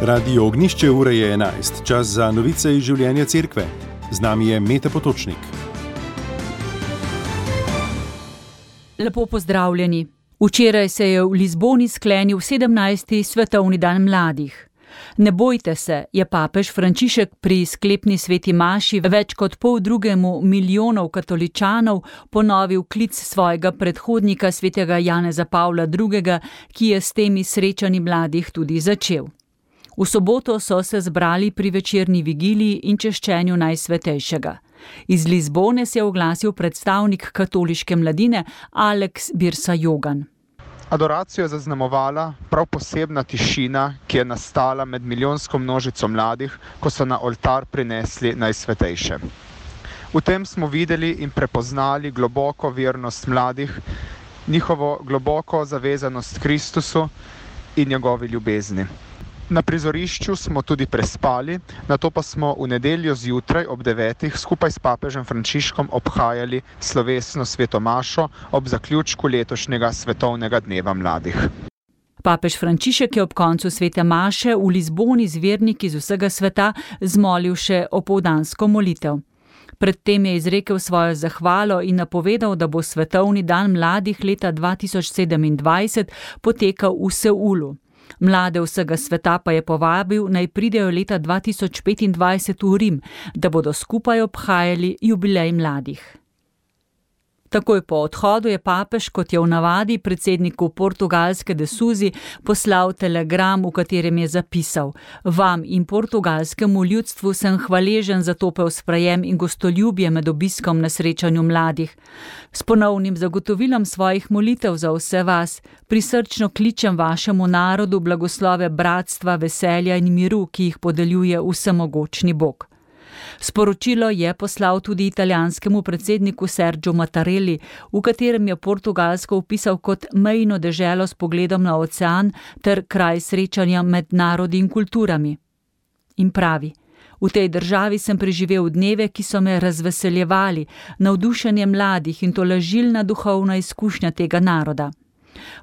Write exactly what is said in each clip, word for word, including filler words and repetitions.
Radio Ognjišče, ura je enajst, čas za novice iz življenja cerkve. Z nami je Mete Potočnik. Lepo pozdravljeni. Včeraj se je v Lizboni sklenil sedemnajsti svetovni dan mladih. Ne bojte se, je papež Frančišek pri sklepni sveti maši več kot pol drugemu milijonov katoličanov ponovil klic svojega predhodnika svetega Janeza Pavla drugega, ki je s temi srečanji mladih tudi začel. V soboto so se zbrali pri večerni vigiliji in češčenju Najsvetejšega. Iz Lizbone se je oglasil predstavnik katoliške mladine Alex Birsa-Jogan. Adoracijo je zaznamovala prav posebna tišina, ki je nastala med milijonsko množico mladih, ko so na oltar prinesli Najsvetejše. V tem smo videli in prepoznali globoko vernost mladih, njihovo globoko zavezanost Kristusu in njegovi ljubezni. Na prizorišču smo tudi prespali, nato pa smo v nedeljo zjutraj ob devetih skupaj s papežem Frančiškom obhajali slovesno sveto mašo ob zaključku letošnjega svetovnega dneva mladih. Papež Frančišek je ob koncu svete maše v Lizboni z verniki iz vsega sveta zmolil še opoldansko molitev. Predtem je izrekel svojo zahvalo in napovedal, da bo svetovni dan mladih leta dva tisoč sedemindvajset potekal v Seulu. Mlade vsega sveta pa je povabil, naj pridejo leta dva tisoč petindvajset v Rim, da bodo skupaj obhajali jubilej mladih. Takoj po odhodu je papež, kot je v navadi, predsedniku portugalske de Sousi poslal telegram, v katerem je zapisal: Vam in portugalskemu ljudstvu sem hvaležen za topel sprejem in gostoljubje med obiskom na srečanju mladih. S ponovnim zagotovilom svojih molitev za vse vas prisrčno kličem vašemu narodu blagoslove bratstva, veselja in miru, ki jih podeljuje vsemogočni Bog. Sporočilo je poslal tudi italijanskemu predsedniku Sergiu Mattarelli, v katerem je Portugalsko opisal kot mejno deželo s pogledom na ocean ter kraj srečanja med narodi in kulturami. In pravi: V tej državi sem preživel dneve, ki so me razveseljevali, navdušenje mladih in tolažilna duhovna izkušnja tega naroda.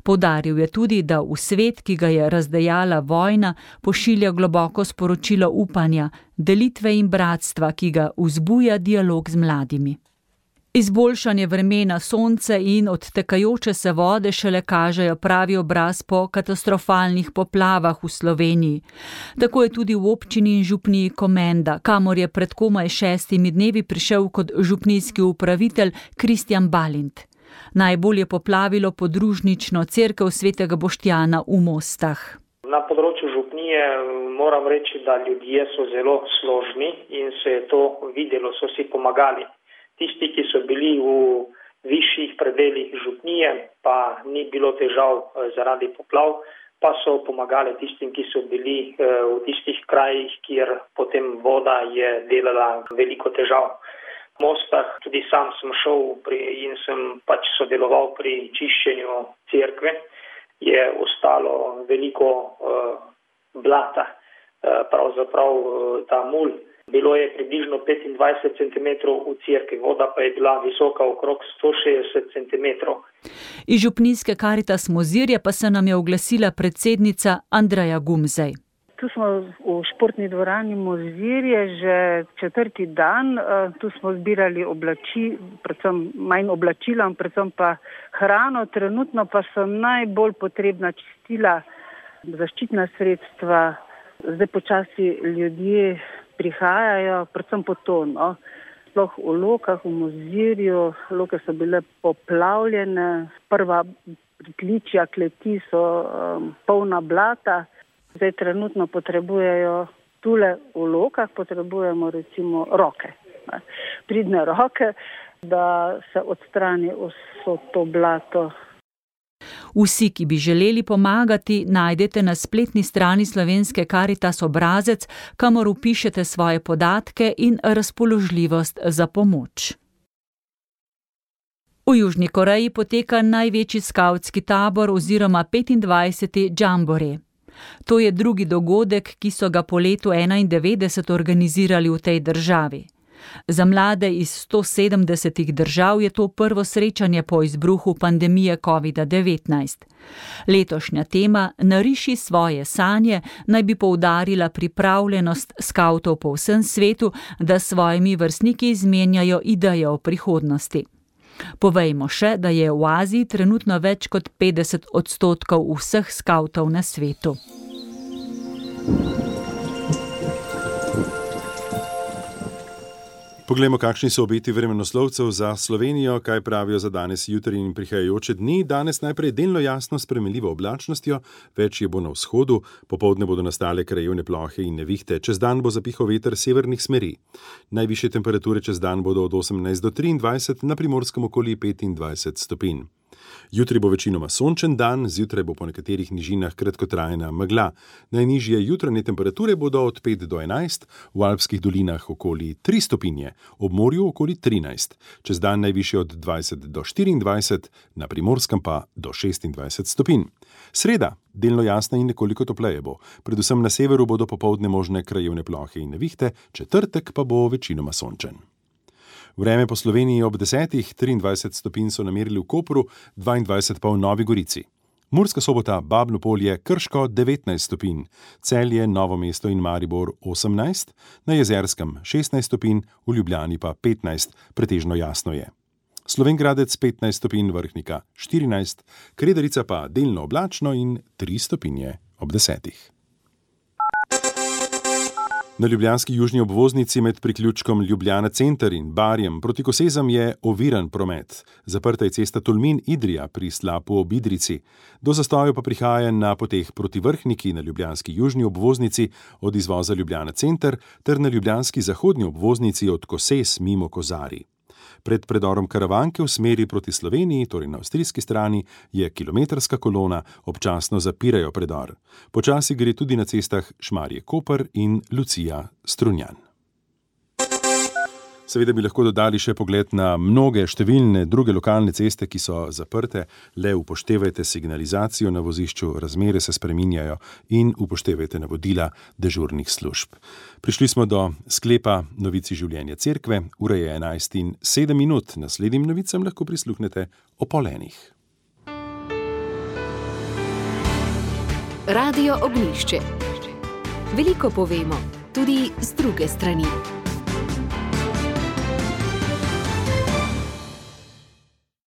Poudaril je tudi, da v svet, ki ga je razdejala vojna, pošilja globoko sporočilo upanja, delitve in bratstva, ki ga vzbuja dialog z mladimi. Izboljšanje vremena, sonce in odtekajoče se vode šele kažejo pravi obraz po katastrofalnih poplavah v Sloveniji. Tako je tudi v občini in župniji Komenda, kamor je pred komaj šestimi dnevi prišel kot župnijski upravitelj Kristjan Balint. Najbolj je poplavilo podružnično cerkev svetega Boštjana v Mostah. Na področju župnije moram reči, da ljudje so zelo složni in se je to videlo, so si pomagali. Tisti, ki so bili v višjih predelih župnije, pa ni bilo težav zaradi poplav, pa so pomagali tistim, ki so bili v tistih krajih, kjer potem voda je delala veliko težav. V Mostah tudi sam sem šel pri, in sem pač sodeloval pri čiščenju cerkve. Je ostalo veliko uh, blata, uh, pravzaprav uh, ta mulj. Bilo je približno petindvajset centimetrov v cerkvi, voda pa je bila visoka okrog sto šestdeset centimetrov. Iz župnijske Karitas Mozirje pa se nam je oglasila predsednica Andreja Gumzej. Tu smo v športni dvorani Mozirje že četrti dan. Tu smo zbirali oblači, predvsem manj oblačila, predvsem pa hrano. Trenutno pa so najbolj potrebna čistila, zaščitna sredstva. Zdaj počasi ljudje prihajajo, predvsem po to, no. Sploh v Lokah, v Mozirju. Loke so bile poplavljene. Prva pritličja kleti so um, polna blata. Zdaj trenutno potrebujejo tule v Lokah, potrebujemo recimo roke, ne, pridne roke, da se odstrani vso to blato. Vsi, ki bi želeli pomagati, najdete na spletni strani slovenske Karitas obrazec, kamor vpišete svoje podatke in razpoložljivost za pomoč. V Južni Koreji poteka največji skavtski tabor oziroma petindvajseti Jamboree. To je drugi dogodek, ki so ga po letu enaindevetdeset organizirali v tej državi. Za mlade iz sto sedemdesetih držav je to prvo srečanje po izbruhu pandemije kovida devetnajst. Letošnja tema Nariši svoje sanje naj bi poudarila pripravljenost skavtov po vsem svetu, da s svojimi vrstniki izmenjajo ideje o prihodnosti. Povejmo še, da je v Aziji trenutno več kot petdeset odstotkov vseh skavtov na svetu. Poglejmo, kakšni so obeti vremenoslovcev za Slovenijo, kaj pravijo za danes, jutri in prihajajoče dni. Danes najprej delno jasno s spremenljivo oblačnostjo, več je bo na vzhodu, popoldne bodo nastale krajevne plohe in nevihte, čez dan bo zapihal veter severnih smeri. Najvišje temperature čez dan bodo od osemnajst do triindvajset, na Primorskem okoli petindvajset stopinj. Jutri bo večinoma sončen dan, zjutraj bo po nekaterih nižinah kratkotrajna megla. Najnižje jutranje temperature bodo od pet do enajst, v alpskih dolinah okoli tri stopinje, ob morju okoli trinajst, čez dan najvišje od dvajset do štiriindvajset, na Primorskem pa do šestindvajset stopinj. Sreda, delno jasna in nekoliko topleje bo. Predvsem na severu bodo popoldne možne krajevne plohe in nevihte, četrtek pa bo večinoma sončen. Vreme po Sloveniji ob desetih, triindvajset stopinj so namerili v Kopru, dvaindvajset pa v Novi Gorici. Murska Sobota, Babno Polje, Krško devetnajst stopinj, Celje, Novo mesto in Maribor osemnajst, na Jezerskem šestnajst stopinj, v Ljubljani pa petnajst, pretežno jasno je. Slovenj Gradec petnajst stopinj, Vrhnika štirinajst, Kredarica pa delno oblačno in tri stopinje ob desetih. Na ljubljanski južni obvoznici med priključkom Ljubljana center in Barjem proti Kosezam je oviran promet. Zaprta je cesta Tolmin-Idrija pri Slapu ob Idrici. Do zastojev pa prihaja na poteh proti Vrhniki na ljubljanski južni obvoznici od izvoza Ljubljana center ter na ljubljanski zahodni obvoznici od Kosez mimo Kozarij. Pred predorom Karavanke v smeri proti Sloveniji, torej na avstrijski strani, je kilometrska kolona, občasno zapirajo predor. Počasi gre tudi na cestah Šmarje-Koper in Lucija-Strunjan. Seveda bi lahko dodali še pogled na mnoge številne druge lokalne ceste, ki so zaprte, le upoštevajte signalizacijo na vozišču, razmere se spreminjajo in upoštevajte navodila dežurnih služb. Prišli smo do sklepa novici življenja cerkve, ura je enajst in sedem minut, naslednjim novicam lahko prisluhnete o pol enih. Radio Ognjišče. Veliko povemo, tudi z druge strani.